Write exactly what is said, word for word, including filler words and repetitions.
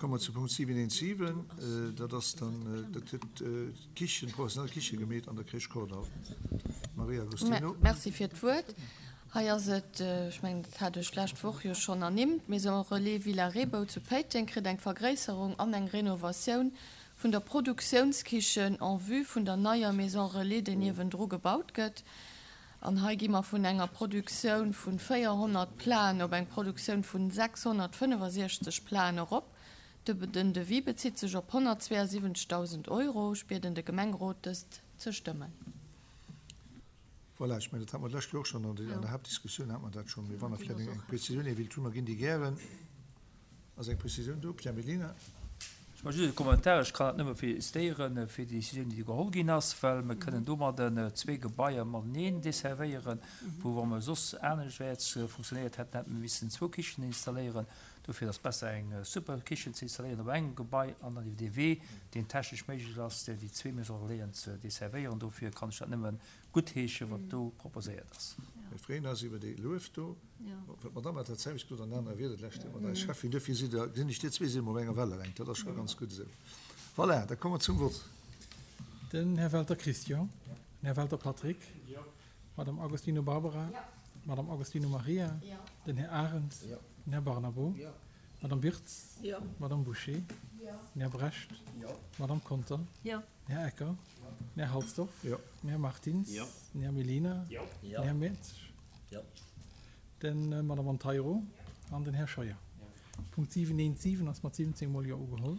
Komme mer zu Punkt siwen eent siwen. Dat ass dann, dat huet d'Kichen, d'professionell Kiche gemeet an der Crèche Kordall. Maria Agostino. Merci fir d'Wuert. Hei ass et, ech mengen, dat hat ech d'lescht Woch jo schonn ernimmt, d'Maison Relais Villa Reebou zu Péiteng kritt eng Vergréisserung an eng Renovatioun vun der Produktiounskichen en vue vun der neier Maison Relais, déi niewendru gebaut gëtt. An hei gi mer vun enger Produktioun vu véierhonnert Platen op eng Produktioun vu sechshonnertfënnefosechzeg Platen erop. Den Devis bezitt sech op honnertzweeënsiwwenzegdausend Euro. Ech bieden de Gemengerot, dëst ze stëmmen. Voilà, ech mengen, dat hate mer d'lescht Joer och schonn an der Haaptdiskussioun hate mer dat schonn. Mee wann Der vläicht eng Prezisioun ee wéilt hunn, mer ginn déi gären. Ass eng Prezisioun do? Pierre Mellina. Ech maache just e Kommentar. Ech kann dat nëmme félicitéiere fir déi Décisioun, déi do geholl ginn ass, well mer kënnen domadden zwee Gebaier mateneen desservéieren, wou, wa mer soss aneschtwäerts funktionéiert hätten, hätte mer missen zwou Kichen installéieren. Dofir ass besser, eng super Kichen ze installéieren op engem Gebai an dann iwwer dee Wee, deen technesch méiglech ass, déi zwee Maisons relaisen ze desservéieren. Dofir kann ech dat nëmme guttheeschen, wat do proposéiert ass. Mir freeën eis iwwer dee Luef do. Well d'Madame hat dat selwecht gesot an aner Wierder d'lescht Joer mat eis Schäffin. Dofir sidd Der, gesinn ech, dir zwee sidd emol op enger Wellerängt. Dat ass scho ganz gutt esou. Voilà, da komme mer zum Vott. Den Här Welter Christian. Den Här Welter Patrick. D'Madame Agostino Barbara. D'Madame Agostino Maria. Den Här Arendt. Den Här Barnabo. D'Madame Wirtz. D'Madame Bouché. Den Här Brecht. D'Madame Conter. Den Här Ecker. Den Här Halsdorf. Den Här Martins. Den Här Mellina. Den Här Mertsch. D'Madame Monteiro an den Här Scheuer. Punkt siwen eent siwen ass mat siwwenzéng mol Jo ugeholl.